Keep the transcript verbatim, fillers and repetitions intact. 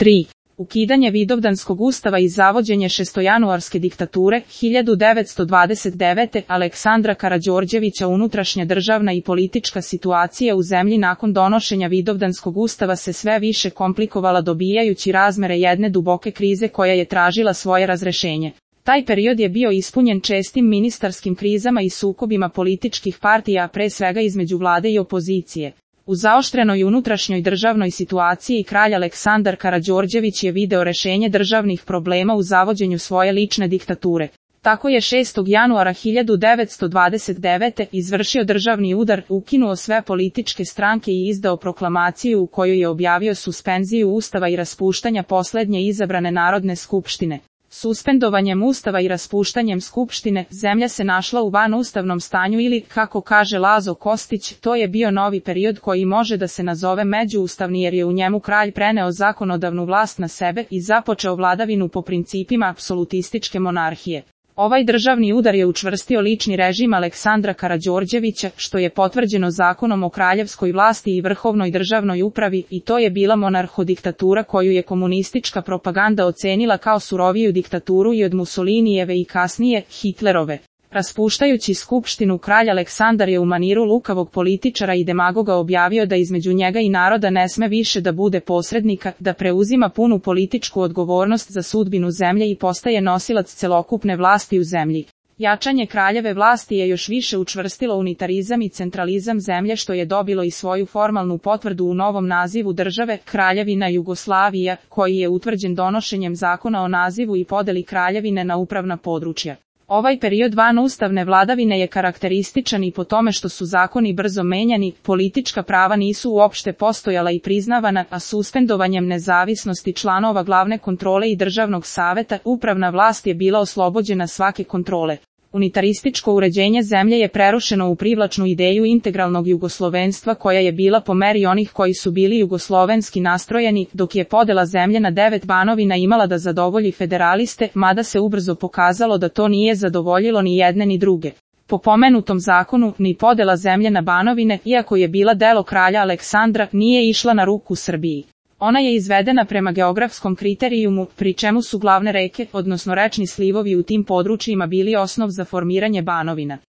tri. Ukidanje Vidovdanskog ustava i zavođenje šestojanuarske diktature, hiljadu devetsto dvadeset devete. Aleksandra Karađorđevića. Unutrašnja državna i politička situacija u zemlji nakon donošenja Vidovdanskog ustava se sve više komplikovala dobijajući razmere jedne duboke krize koja je tražila svoje razrešenje. Taj period je bio ispunjen čestim ministarskim krizama i sukobima političkih partija, pre svega između vlade i opozicije. U zaoštrenoj unutrašnjoj državnoj situaciji kralj Aleksandar Karađorđević je video rešenje državnih problema u zavođenju svoje lične diktature. Tako je šestog januara hiljadu devetsto dvadeset devete. izvršio državni udar, ukinuo sve političke stranke i izdao proklamaciju u kojoj je objavio suspenziju ustava i raspuštanja poslednje izabrane Narodne skupštine. Suspendovanjem ustava i raspuštanjem skupštine, zemlja se našla u vanustavnom stanju ili, kako kaže Lazo Kostić, to je bio novi period koji može da se nazove međuustavni jer je u njemu kralj preneo zakonodavnu vlast na sebe i započeo vladavinu po principima apsolutističke monarhije. Ovaj državni udar je učvrstio lični režim Aleksandra Karađorđevića, što je potvrđeno zakonom o kraljevskoj vlasti i vrhovnoj državnoj upravi, i to je bila monarhodiktatura koju je komunistička propaganda ocenila kao suroviju diktaturu i od Mussolinijeve i kasnije Hitlerove. Raspuštajući skupštinu, kralj Aleksandar je u maniru lukavog političara i demagoga objavio da između njega i naroda ne sme više da bude posrednika, da preuzima punu političku odgovornost za sudbinu zemlje i postaje nosilac celokupne vlasti u zemlji. Jačanje kraljeve vlasti je još više učvrstilo unitarizam i centralizam zemlje, što je dobilo i svoju formalnu potvrdu u novom nazivu države, Kraljevina Jugoslavija, koji je utvrđen donošenjem zakona o nazivu i podeli kraljevine na upravna područja. Ovaj period vanustavne vladavine je karakterističan i po tome što su zakoni brzo menjani, politička prava nisu uopšte postojala i priznavana, a suspendovanjem nezavisnosti članova glavne kontrole i državnog saveta, upravna vlast je bila oslobođena svake kontrole. Unitarističko uređenje zemlje je prerušeno u privlačnu ideju integralnog jugoslovenstva koja je bila po meri onih koji su bili jugoslovenski nastrojeni, dok je podela zemlje na devet banovina imala da zadovolji federaliste, mada se ubrzo pokazalo da to nije zadovoljilo ni jedne ni druge. Po pomenutom zakonu, ni podela zemlje na banovine, iako je bila delo kralja Aleksandra, nije išla na ruku Srbiji. Ona je izvedena prema geografskom kriterijumu, pri čemu su glavne reke, odnosno rečni slivovi u tim područjima bili osnov za formiranje banovina.